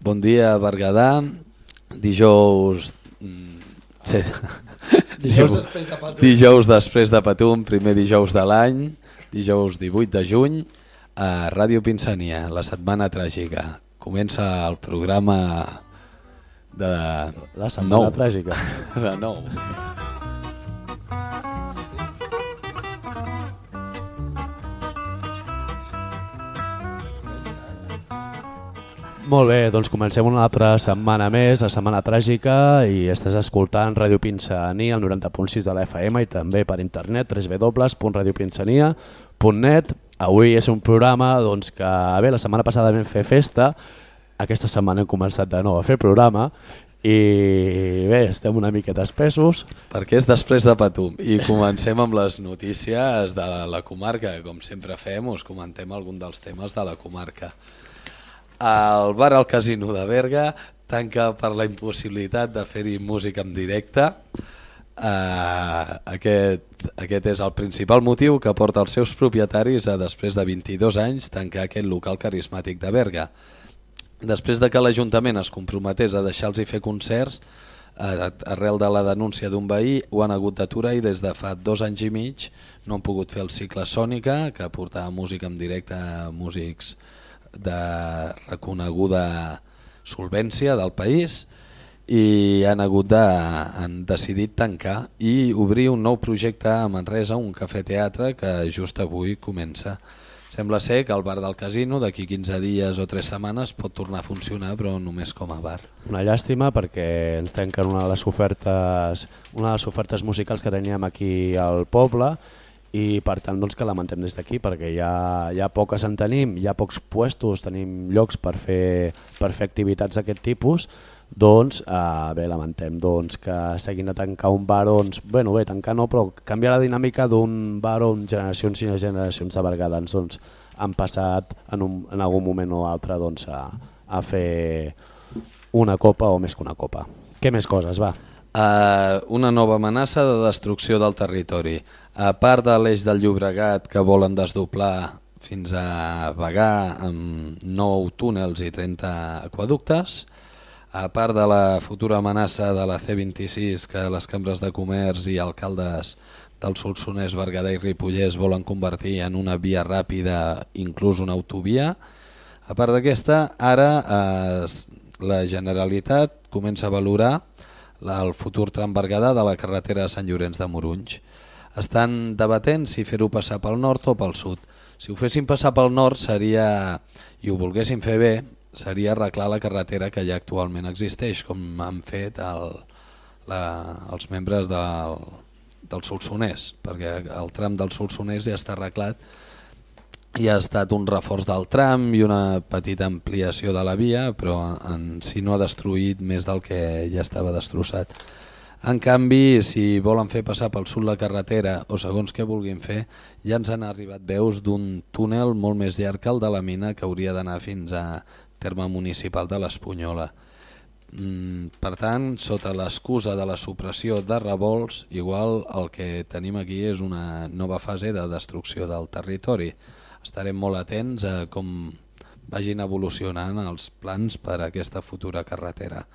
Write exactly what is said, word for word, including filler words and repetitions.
Bon dia, Berguedà. Dijous... Sí. Dijous després de Patum. Dijous després de Patum, primer dijous de l'any, dijous divuit de juny, a Ràdio Pinsania, la setmana tràgica. Comença el programa de... La setmana nou. tràgica. De nou. Molt bé, doncs comencem una altra setmana més, la setmana tràgica, i estàs escoltant Ràdio Pinsania, el noranta punt sis de la F M i també per internet, w w w punt radio pinsania punt net. Avui és un programa doncs, que bé, la setmana passada vam fer festa, aquesta setmana hem començat de nou a fer programa i bé, estem una miqueta espessos. Perquè és després de Patum i comencem amb les notícies de la comarca, com sempre fem, us comentem algun dels temes de la comarca. El bar al Casino de Berga tanca per la impossibilitat de fer-hi música en directe. Uh, aquest, aquest és el principal motiu que porta els seus propietaris a, després de vint-i-dos anys, tancar aquest local carismàtic de Berga. Després de que l'Ajuntament es comprometés a deixar-los fer concerts, uh, arrel de la denúncia d'un veí, ho han hagut d'aturar i des de fa dos anys i mig no han pogut fer el cicle Sònica, que portava música en directe a músics de reconeguda solvència del país, i han hagut de, han decidit tancar i obrir un nou projecte a Manresa, un cafè-teatre que just avui comença. Sembla ser que el bar del Casino d'aquí quinze dies o tres setmanes pot tornar a funcionar, però només com a bar. Una llàstima perquè ens tanquen una de les ofertes, una de les ofertes musicals que teníem aquí al poble, i per tant doncs, que lamentem des d'aquí perquè ja, ja poques en tenim, hi ha pocs puestos, tenim llocs per fer, per fer activitats d'aquest tipus, doncs eh, bé, lamentem doncs, que s'hagin de tancar un bar, doncs, bueno, bé, tancar no, però canviar la dinàmica d'un bar on generacions i generacions de bergadans doncs, han passat en, un, en algun moment o altre doncs, a, a fer una copa o més que una copa. Què més coses, va? Uh, una nova amenaça de destrucció del territori. A part de l'eix del Llobregat que volen desdoblar fins a Bagà amb nou túnels i trenta aquaductes, a part de la futura amenaça de la C vint-i-sis que les cambres de comerç i alcaldes del Solsonès, Berguedà i Ripollès volen convertir en una via ràpida, inclús una autovia, a part d'aquesta, ara eh, la Generalitat comença a valorar el futur tram Berguedà de la carretera de Sant Llorenç de Morunys. Estan debatent si fer-ho passar pel nord o pel sud. Si ho fessin passar pel nord seria, i ho volguessin fer bé, seria arreglar la carretera que ja actualment existeix, com han fet el, la, els membres del, del Solsonès, perquè el tram del Solsonès ja està arreglat i ha estat un reforç del tram i una petita ampliació de la via, però en si no ha destruït més del que ja estava destrossat. En canvi, si volen fer passar pel sud la carretera o segons què vulguin fer, ja ens han arribat veus d'un túnel molt més llarg que el de la mina que hauria d'anar fins a terme municipal de l'Espunyola. Per tant, sota l'excusa de la supressió de revolts, igual el que tenim aquí és una nova fase de destrucció del territori. Estarem molt atents a com vagin evolucionant els plans per a aquesta futura carretera.